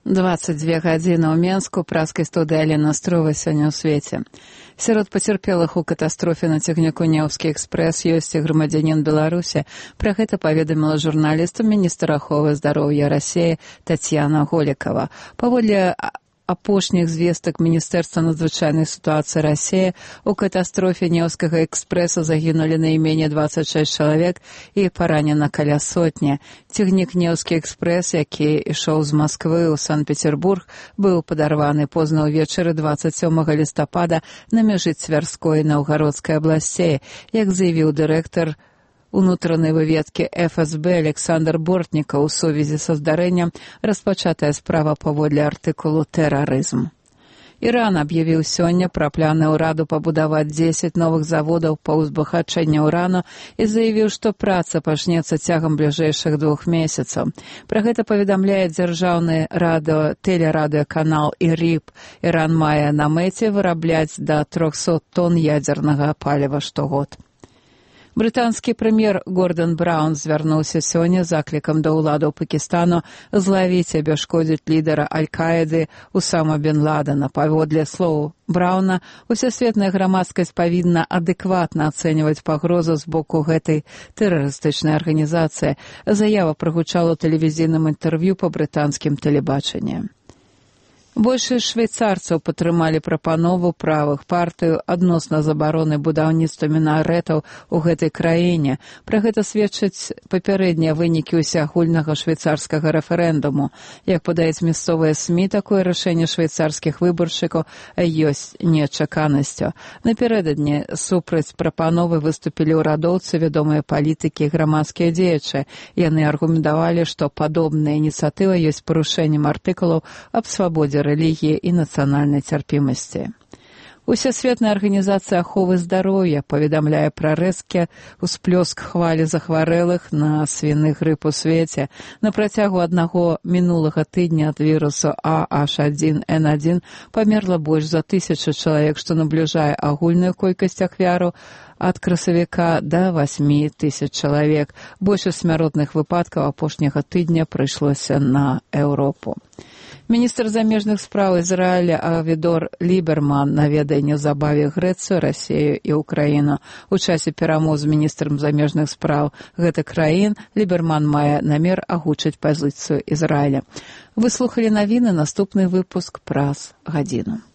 22 гадзіны ў Менску, праскай студыі Алена Строва сёння ў свеце. Сярод пацярпелых у катастрофе на цягніку Неўскі экспрэс ёсць і грамадзянін Беларусі. Пра гэта паведаміла журналістам міністр аховы здароўя Расіі Тацьяна Голікава. Паводле апошніх звестак Міністэрства надзвычайнай сітуацыі Расіі, у катастрофе Неўскага экспрэса загінулі найменей 26 чалавек і паранена каля сотні. Цягнік Неўскі экспрэс, які ішоў з Масквы ў Санкт-Петербург, быў падарваны позна ўвечары 27 лістапада на мяжы Цвярской і Наўгародскай абласцей, як заявіў дырэктар унутранай выведкі ФСБ Александр Бортніка ў сувязі са здарэннем распачатая справа паводле артыкулу «Тэрарызм». Іран аб'явіў сёння пра планы ўраду пабудаваць 10 новых заводаў па ўзбагачэнні ўрану і заявіў, што праца пачнецца цягам бліжэйшых 2 месяцаў. Пра гэта паведамляе дзяржаўны тэлерадыёканал ІРИБ. Іран мае на мэце вырабляць да 300 тонн ядзернага паліва штогод. Брытанскі прэм'ер Гордан Браўн звярнуўся сёння заклікам да ўладаў Пакістану злавіць і абясшкодзіць лідара Аль-Каіды Усама бен Ладена. Паводле слоў Браўна, усесветная грамадскасць павінна адэкватна ацэньваць пагрозу з боку гэтай тэрарыстычнай арганізацыі. Заява прагучала ў тэлевізійным інтэрв'ю па брытанскім тэлебачанні. Большасць швейцарцаў падтрымалі прапанову правых партыяў адносна забароны будаўніцтва мінарэтаў у гэтай краіне. Пра гэта сведчаць папярэднія вынікі ўсеагульнага швейцарскага рэферэндуму. Як падаюць мясцовыя СМІ, такое рашэнне швейцарскіх выбаршчыкаў ёсць нечаканасцю. Напярэдадні супраць прапановы выступілі ўрадоўцы, вядомыя палітыкі і грамадскія дзеячы. Яны аргументавалі, што падобная ініцыятыва ёсць парушэннем артыкулаў аб свабодзе рэлігіі і нацыянальнай цярпімасці. Усесветная арганізацыя аховы здароўя паведамляе пра рэзкі ўсплёск хвалі захварэлых на свіны грып у свеце. На працягу аднаго мінулага тыдня ад вірусу AH1N1 памерла больш за 1000 чалавек, што набліжае агульную колькасць ахвяраў ад красавіка да 8000 чалавек. Большасць смяротных выпадкаў апошняга тыдня прыйшлося на Еўропу. Міністр замежных спраў Ізраіля Авідор Ліберман наведае неўзабаве Грэцыю, Расію і Ўкраіну. У часе перамоў з міністрам замежных спраў гэтых краін Ліберман мае намер агучыць пазіцыю Ізраіля. Вы слухалі навіны, наступны выпуск праз гадзіну.